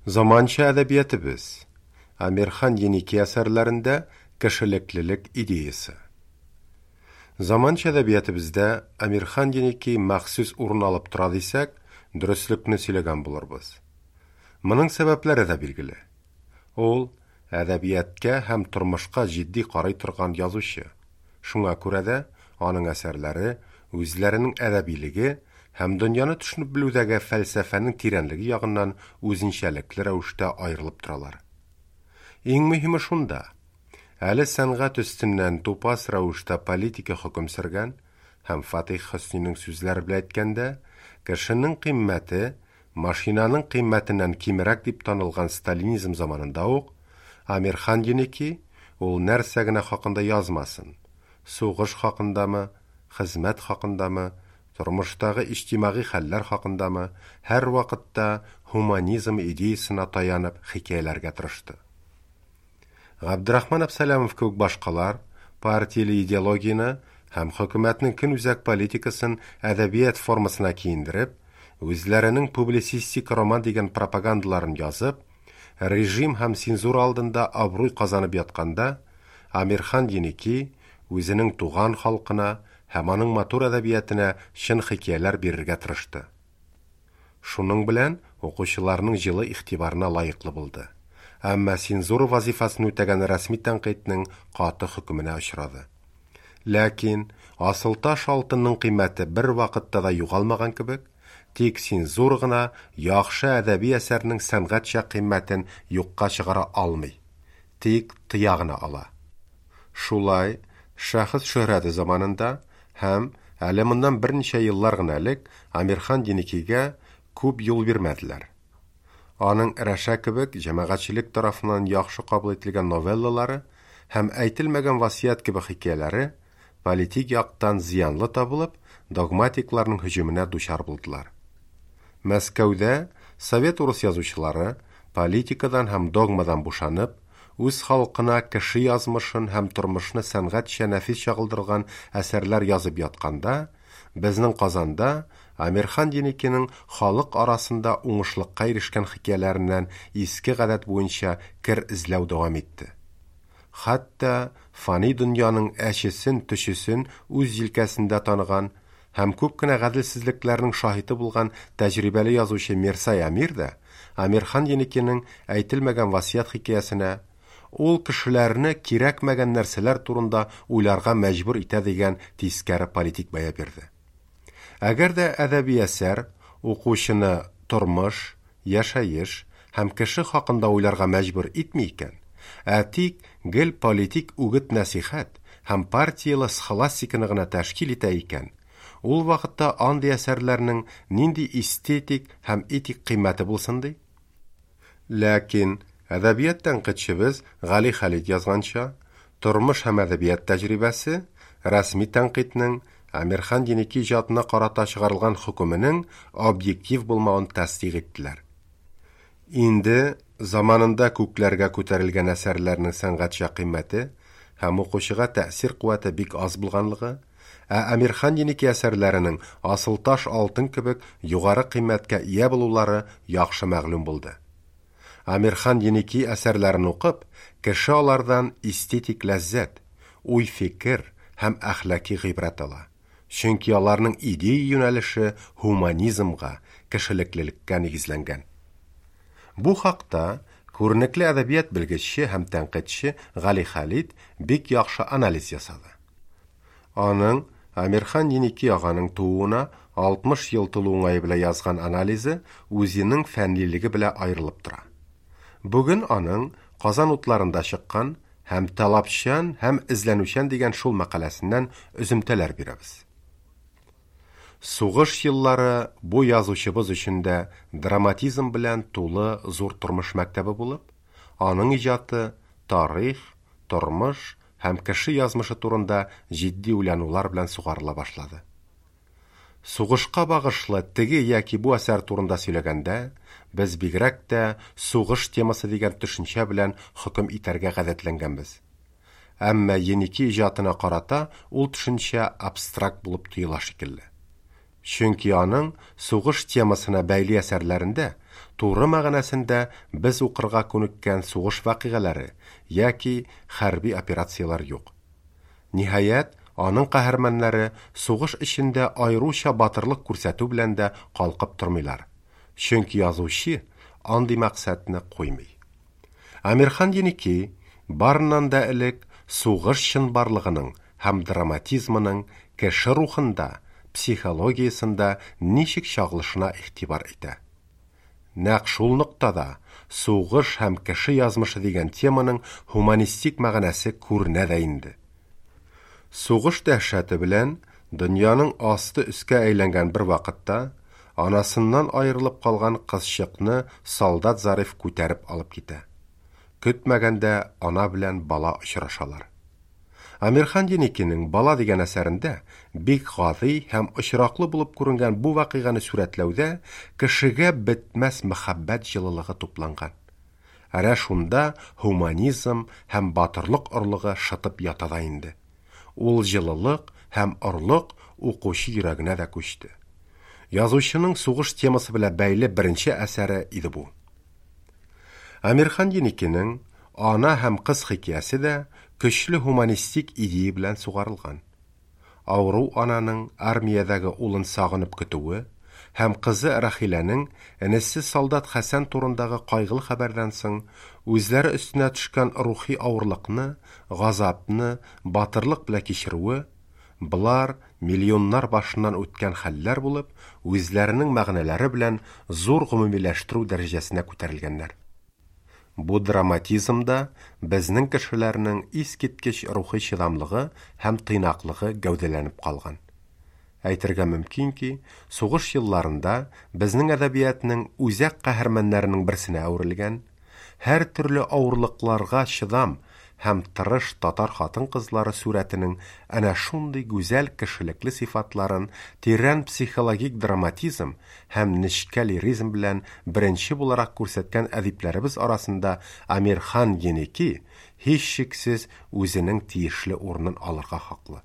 Заманча әдәбиятыбыз. Әмирхан Еники әсәрләрендә кешелеклелек идеясе. Заманча әдәбиятыбызда Әмирхан Еники махсус урын алып тора дисәк, дөреслекне сөйләгән булырбыз. Моның сәбәпләре дә билгеле. Ул әдәбиятка һәм тормышка җитди карый торган язучы. Шуңа күрә дә аның әсәрләре үзләренең әдәбилеге һәм дөньяны төшенеп белүдәге фәлсәфәнең тирәнлеге ягыннан үзенчәлекле рәвештә аерылып торалар. Иң мөһиме шунда, әле сәнгать өстеннән тупас рәвештә политика хөкем сөргән һәм Фатих Хөснинең сүзләре белән әйткәндә, кешенең кыйммәте машинаның кыйммәтеннән кимрәк дип танылган сталинизм заманында ук Әмирхан Еники ул нәрсә генә хакында язмасын, сугыш хакындамы, хезмәт хакындамы, тормыштагы иҗтимагый хәлләр хакындамы, һәрвакытта һуманизм идеясына таянып хикәяләргә тырышты. Габдрахман Әбсәләмов кебек башкалар партияле идеологияне һәм хөкүмәтнең көнүзәк политикасын әдәбият формасына киендереп, үзләренең публицистик роман дигән пропагандаларын язып, режим һәм цензура алдында абруй казанып ятканда, Әмирхан Еники үзенең туган халкына һәм аның матур әдәбиятына чын хикәяләр бирергә тырышты. Шуның белән укучыларның җылы игътибарына лаеклы булды. Әмма цензура вазифасын үтәгән рәсми тәнкыйтьнең каты хөкеменә очрады. Ләкин асылташ алтынның кыйммәте бер вакытта да югалмаган кебек, тик цензура гына яхшы әдәби әсәрнең сәнгатьчә кыйммәтен юкка чыгара алмый, тик тыя гына ала. Шулай, шәхес шөһрәте заманында һәм әле моннан берничә еллар гына элек Әмирхан Еникигә күп юл бирмәделәр. Аның Рәшә кебек җәмәгатьчелек тарафыннан яхшы кабул ителгән новеллалары һәм Әйтелмәгән васыять кебек хикәяләре политик яктан зыянлы табылып, догматикларның һөҗүменә дучар булдылар. Мәскәүдә совет урыс язучылары политикадан һәм догмадан бушанып, үз халкына кеше язмышын һәм тормышны сәнгатьчә нәфис чагылдырган әсәрләр язып ятканда, безнең Казанда Әмирхан Еникинең халык арасында уңышлыкка ирешкән хикәяләреннән иске гадәт буенча кер эзләү дәвам итте. Хәтта фани дөньяның әчесен, төчесен үз җилкәсендә таныган һәм күп кенә гаделсезлекләрнең шаһиты булган тәҗрибәле язучы Мирсай Әмир дә Әмирхан Еникинең Әйтелмәгән васыять хикәясенә ул кешеләрне кирәкмәгән нәрсәләр турында уйларга мәҗбүр итә дигән тискәре политик бәя бирде. Әгәр дә әдәби әсәр укучыны тормыш, яшәеш һәм кеше хакында уйларга мәҗбүр итми икән, ә тик гел политик үгет-нәсихәт һәм партияле схоластиканы гына тәшкил итә икән, ул вакытта андый әсәрләрнең нинди эстетик һәм этик кыйммәте булсын ди? Ләкин әдәбият тәнкыйтьчебез Гали Халит язганча, тормыш һәм әдәбият тәҗрибәсе рәсми тәнкыйтьнең Әмирхан Еники иҗатына карата чыгарылган хөкеменең объектив булмавын тасдыйк иттеләр. Инде заманында күкләргә күтәрелгән әсәрләрнең сәнгатьчә кыйммәте һәм укучыга тәэсир куәте бик аз булганлыгы, ә Әмирхан Еники әсәрләренең асылташ алтын кебек югары кыйммәткә ия булулары яхшы мәгълүм булды. Әмирхан Еники әсәрләрен укып, кеше алардан эстетик ләззәт, уй-фикер һәм әхлаки гыйбрәт ала. Чөнки аларның идея юнәлеше һуманизмга, кешелеклелеккә нигезләнгән. Бу хакта күренекле әдәбият белгече һәм тәнкыйтьче Гали Халит бик яхшы анализ ясады. Аның Әмирхан Еники аганың тууына 60 ел тулу уңае белән язган анализы үзенең фәннилеге белән аерылып тора. Бүген аның Казан утларында чыккан һәм талапчан һәм эзләнүчән дигән шул мәкаләсеннән өземтәләр бирәбез. Сугыш еллары бу язучыбыз өчен дә драматизм белән тулы зур тормыш мәктәбе булып, аның иҗаты тарих, тормыш һәм кеше язмышы турында җитди уйланулар белән сугарыла башлады. Сугышка багышлы теге яки бу әсәр турында сөйләгәндә, без бигрәк тә сугыш темасы дигән төшенчә белән хөкем итәргә гадәтләнгәнбез. Әмма Еники иҗатына карата ул төшенчә абстракт булып тоела шикелле. Чөнки аның сугыш темасына бәйле әсәрләрендә туры мәгънәсендә без укырга күнеккән сугыш вакыйгалары яки хәрби операцияләр юк. Ниһаять, аның каһарманнары сугыш эчендә аеруча батырлык күрсәтү белән дә калкып тормыйлар. Чөнки язучы андый максатны куймый. Әмирхан Еники, барыннан да элек, сугыш чынбарлыгының һәм драматизмының кеше рухында, психологиясендә ничек чагылышына игътибар итә. Нәкъ шул ноктада сугыш һәм кеше язмышы дигән теманың һуманистик мәгънәсе күренә дә инде. Сугыш дәһшәте белән дөньяның асты өскә әйләнгән бер вакытта анасыннан аерылып калган кызчыкны солдат Зариф күтәреп алып китә. Көтмәгәндә ана белән бала очрашалар. Әмирхан Еникинең Бала дигән әсәрендә бик гади һәм очраклы булып күренгән бу вакыйганы сурәтләүдә кешегә бетмәс мәхәббәт җылылыгы тупланган. Әнә шунда һуманизм һәм батырлык орлыгы шытып ята да инде. Ул җылылык һәм орлык укучы йөрәгенә дә күчте. Язучының сугыш темасы белән бәйле беренче әсәре иде бу. Әмирхан Еникинең Ана һәм кыз хикәясе дә көчле һуманистик идея белән сугарылган. Авыру ананың армиядәге улын сагынып көтүе һәм кызы Рәхиләнең энесе солдат Хәсән турындагы кайгылы хәбәрдән соң үзләре өстенә төшкән рухи авырлыкны, газапны батырлык белән кичерүе, болар миллионнар башыннан үткән хәлләр булып, үзләренең мәгънәләре белән зур гомумиләштерү дәрәҗәсенә күтәрелгәннәр. Бу драматизмда безнең кешеләрнең искиткеч рухи чыдамлыгы һәм тыйнаклыгы гәүдәләнеп калган. Әйтергә мөмкин ки, сугыш елларында безнең әдәбиятның үзәк каһарманнарының берсенә әверелгән, һәр төрле авырлыкларга чыдам һәм тырыш татар хатын-кызлары сурәтенең әнә шундый гүзәл кешелекле сыйфатларын тирән психологик драматизм һәм нечкә лиризм белән беренче буларак күрсәткән әдипләребез арасында Әмирхан Еники һичшиксез үзенең тиешле урынын алырга хаклы.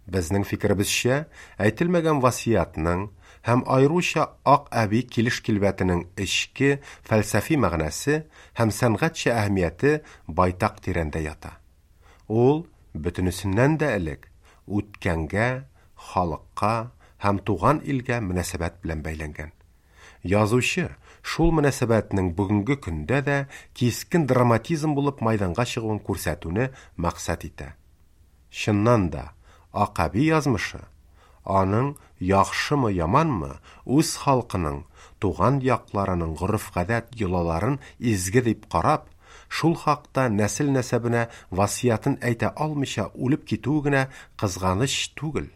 Безнең фикеребезчә, әйтелмәгән васыятның һәм аеруча Ак әби килеш килбәтенең эчке фәлсәфи мәгънәсе һәм сәнгатьчә әһәмияте байтак тирәндә ята. Ул, бөтенесеннән дә элек, үткәнгә, халыкка һәм туган илгә мөнәсәбәт белән бәйләнгән. Язучы шул мөнәсәбәтнең бүгенге көндә дә кискен драматизм булып майданга чыгуын күрсәтүне максат итә. Чыннан да, Ак әби язмышы, аның яхшымы, яманмы, үз халкының, туган якларының гореф-гадәт йолаларын изге дип карап, шул хакта нәсел-нәсәбенә васыятын әйтә алмыйча үлеп китүе генә кызганыч түгел,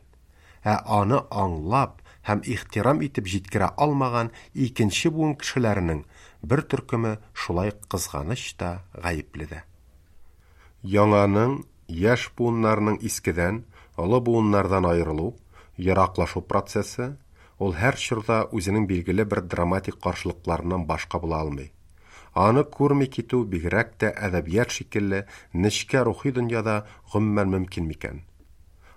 ә аны аңлап һәм ихтирам итеп җиткерә алмаган икенче буын кешеләренең бер төркеме шулай кызганыч та, гаепле дә. Яңаның, яшь буыннарның искедән, олы буыннардан аерылу, ераклашу процессы, ул һәр чорда үзенең билгеле бер драматик каршылыкларыннан башка була алмый. Аны күрми китү бигрәк тә әдәбият шикелле нечкә рухи дөньяда гомумән мөмкин микән?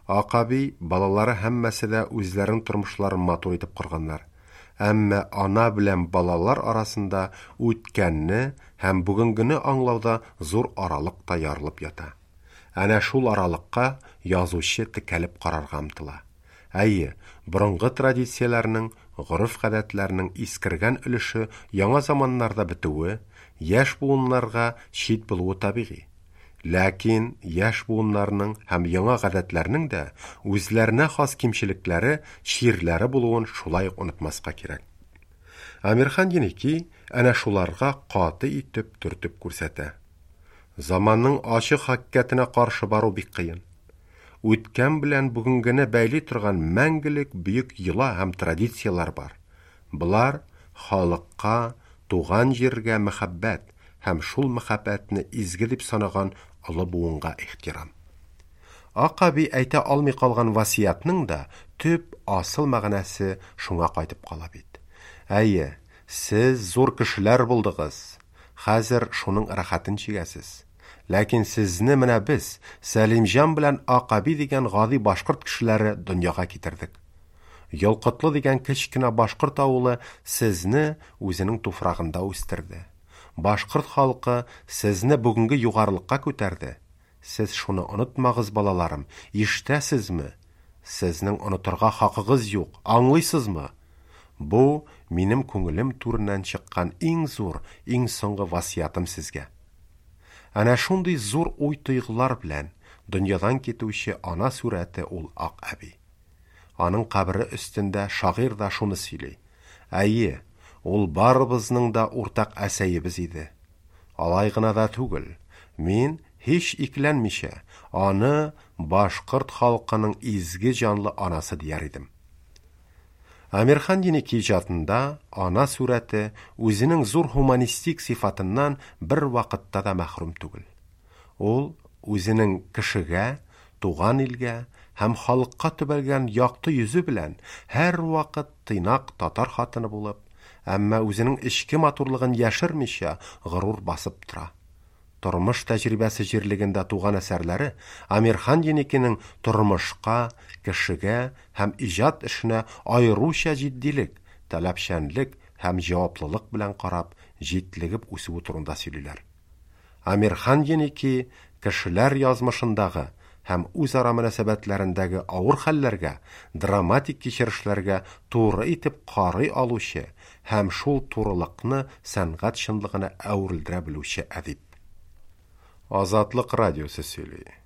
Ак әби, балалары һәммәсе дә үзләренең тормышларын матур итеп корганнар. Әмма ана белән балалар арасында үткәнне һәм бүгенгене аңлауда зур аралык та ярылып ята. Әнә шул аралыкка язучы текәлеп карарга омтыла. Әйе, борынгы традицияләрнең, гореф-гадәтләрнең искергән өлеше яңа заманнарда бетүе, яшь буыннарга чит булуы табигый. Ләкин яшь буыннарның һәм яңа гадәтләрнең дә үзләренә хас кимчелекләре, чирләре булуын шулай ук онытмаска кирәк. Әмирхан Еники әнә шуларга каты итеп төртеп күрсәтә. Заманның ачы хакыйкатенә каршы бару бик кыен. Үткән белән бүгенгене бәйли торган мәңгелек бөек йола һәм традицияләр бар. Болар халыкка, туган җиргә мәхәббәт һәм шул мәхәббәтне изге дип санаган олы буынга ихтирам. Ак әби әйтә алмый калган васыятның да төп асыл мәгънәсе шуңа кайтып кала бит. Әйе, сез зур кешеләр булдыгыз. Хәзер шуның рәхәтен чигәсез. Ләкин сезне менә без, Сәлимҗан белән Ак әби дигән гади башкорт кешеләре дөньяга китердек. Ялкытлы дигән кечкенә башкорт авылы сезне үзенең туфрагында үстерде. Башкорт халкы сезне бүгенге югарылыкка күтәрде. Сез шуны онытмагыз, балаларым, ишетәсезме? Сезнең онытырга хакыгыз юк, аңлыйсызмы? Бу минем күңелем түреннән чыккан иң зур, иң соңгы васыятым сезгә. Әнә шундый зур уй-тойгылар белән дөньядан китүче ана сурәте ул Ак әби. Аның кабере өстендә шагыйрь дә шуны сөйли. Әйе, ул барыбызның да уртак әсәебез иде. Алай гына да түгел, мин, һич икеләнмичә, аны башкорт халкының изге җанлы анасы дияр идем. Әмирхан Еники иҗатында ана сурәте үзенең зур һуманистик сыйфатыннан бер вакытта да мәхрүм түгел. Ул үзенең кешегә, туган илгә һәм халыкка төбәлгән якты йөзе белән һәрвакыт тыйнак татар хатыны булып, әмма үзенең эчке матурлыгын яшермичә горур басып тора. Тормыш тәҗрибәсе җирлегендә туган әсәрләре Әмирхан Еникинең тормышка, кешегә һәм иҗат эшенә аеруча җитдилек, таләпчәнлек һәм җаваплылык белән карап, җитлегеп үсүе турында сөйлиләр. Әмирхан Еники кешеләр язмышындагы һәм үзара мөнәсәбәтләрендәге авыр хәлләргә, драматик кичерешләргә туры итеп карый алучы һәм шул турылыкны сәнгать чынлыгына әверелдерә белүче әдип. Азатлык радиосы сөйли.